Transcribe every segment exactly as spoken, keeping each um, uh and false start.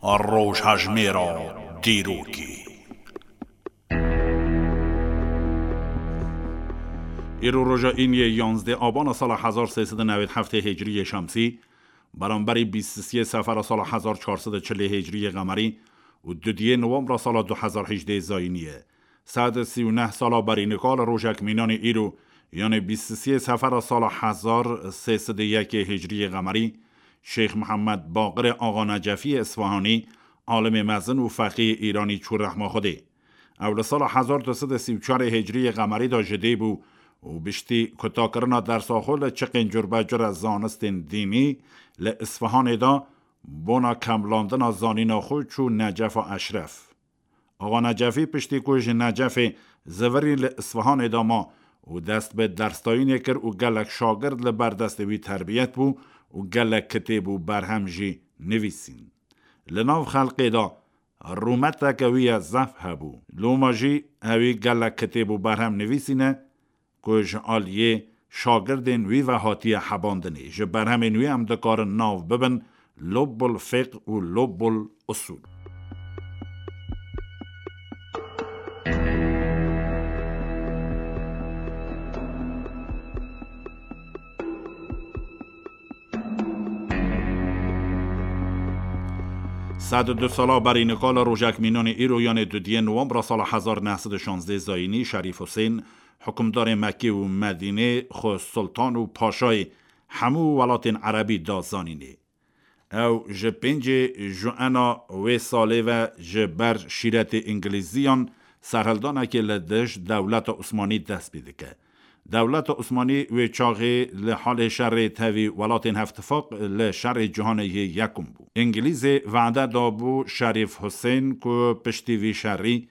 Rojhejmêra dîrokê. Îro roja îniyê yanzdeh abana sala hezar sê sed û newêd heftê hicriyê şemsî, beramberî bîst û sê sefera sala hezar çar sed û çilê hicriyê qemerî û dudiyê nowembra sala du hezar hejdeh zayînî ye. Sed û sî û neh sala berî nika li rojek mînanê îro, yanê bîst û sê sefera sala hezar sê sed û yekê hicriyê qemerî, Şêx Mihemed Baqirê Axa Necefiyê Isfahanî, alimê mezin û feqîyê Îranî çû rehma Xwedê. Ew li sala hezar du sed û sî û çarê hicriyê qemerî de ji dê bû û biştî kutakirina dersa xwe li çiqên curbecure zanistên dînî li Isfahanê de bona kemlandina zanîna xwe çû Necefa Eşref. Axa Necefî piştî ku ji Necefê zivirî li Isfahanê de ma û dest bi dersdayînê kir û gelek şagird li ber destê wî terbiyet bû û gelek kitêb û berhem jî nivîsîn. Li nav xelkê de rûmeteke wî ye zehf hebû. Loma jî ewî gelek kitêb û berhem nivîsîne ku ji aliyê şagirdên wî ve hatiye hebandinê. Ji berhemên wî em dikarin nav bibin Lubbul Fiqh û Lubbul Usul. Sed û du sala berî nika li rojek mînanê îro, yanê dudiyê nowembra sala hezar neh sed û şazdeh zayînî, Şerîf Husên, hukimdarê Mekkê û Medînê, xwe sultan û paşayê hemû welatên erebî da zanînê. Ew ji pêncê Juena wê salê ve ji ber şîretê Îngilîziyan serhildanekê li dij dewleta Osmanî dest pê dike. Dewleta Osmanî wê çaxê li halê şerê tevî welatên Hevtifaq li şerê Cîhanê yê Yekum bû. Îngilîzê vade dabû Şerîf Husên ku piştî vî şerî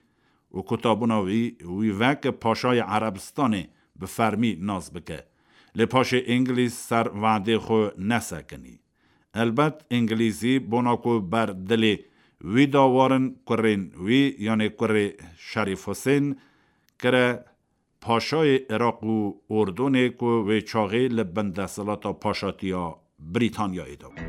û kutabûna wî, wî wek paşayê Erebistanê bi fermî nas bike. Lê paşê Îngilîz ser vadê xwe nesekinî. Elbet Îngilîzî bona ku ber dilê wî de warin, kurên wî, yanê kurê Şerîf Husên, kire paşayê Iraq û Urdunê ku wê çaxê li bin desthilata paşatiya Brîtanyayê de bû.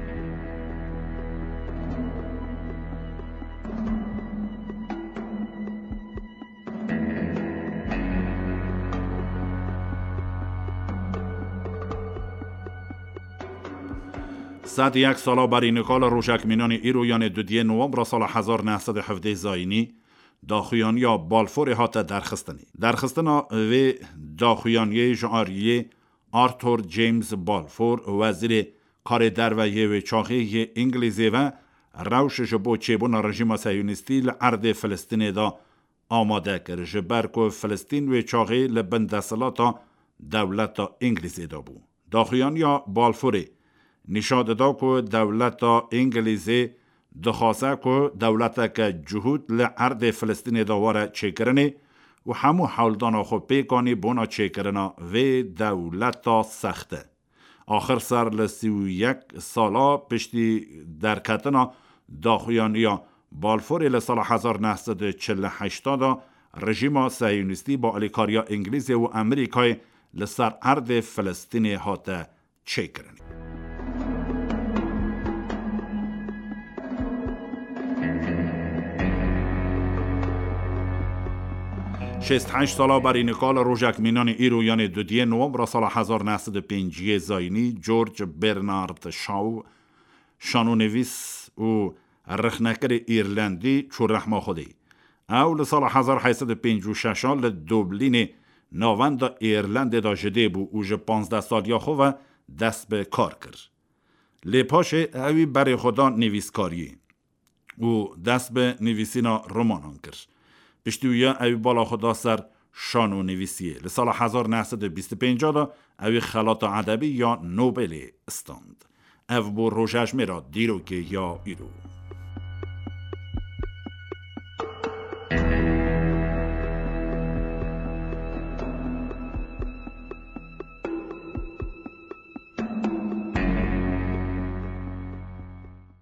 Sed yek sala berî nika li rojek mînanê îro, yanê dudiyê nowembra sala hezar neh sed û hevdeh zayînî, daxuyaniya Balforê hate derxistinê. Derxistina vê daxuyaniyê ji aliyê Arthur James Balfour, wezîrê karê derve yê wê çaxê yê Îngilîzê ve, rewş ji bo çêbûna rejîma sehiyonîstî li erdê Filistînê de amade kir, ji ber ku Filistîn wê çaxê li bin desthilata dewleta Îngilîzê de bû. Daxuyaniya Balfourê nîşan dida ku dewleta Îngilîzê dixwaze ku dewleteke cihûd li erdê Filistînê de were çêkirinê û hemû hewldana xwe pêk anî bona çêkirina vê dewleta sexte. Axir ser li sî û yek sala piştî derketina daxuyaniya Balforê li sala hezar neh sed û çil û heşt de, rejîma sehiyonîstî bi alîkariya Îngilîzê û Amerîkayê li ser erdê Filistînê hate çêkirinê. Şêst heşt sala berî nika li rojek mînanê îro, yanê dudiyê nowembra sala hezar neh sed û pêncî zayînî, George Bernard Shaw, şanonivîs û rexnekerê Îrlendî, çû rehma Xwedê. Ew li sala hezar heyt sed û pêncî û şeş a li Dublînê, navenda Îrlendê de ji dê bû û ji panzdeh saliya xwe ve dest bi kar kir. Lê paşê ewî berê xwe da nivîskariyê û dest bi nivîsîna romanan kir. Piştî wî ya ewî bala xwe da ser şanonivîsiyê. Li sala hezar neh sed û bîst û pênc de ewî xelata edebî ya Nobelê stand. Ev bû rojejmêra dîrokê ya îro.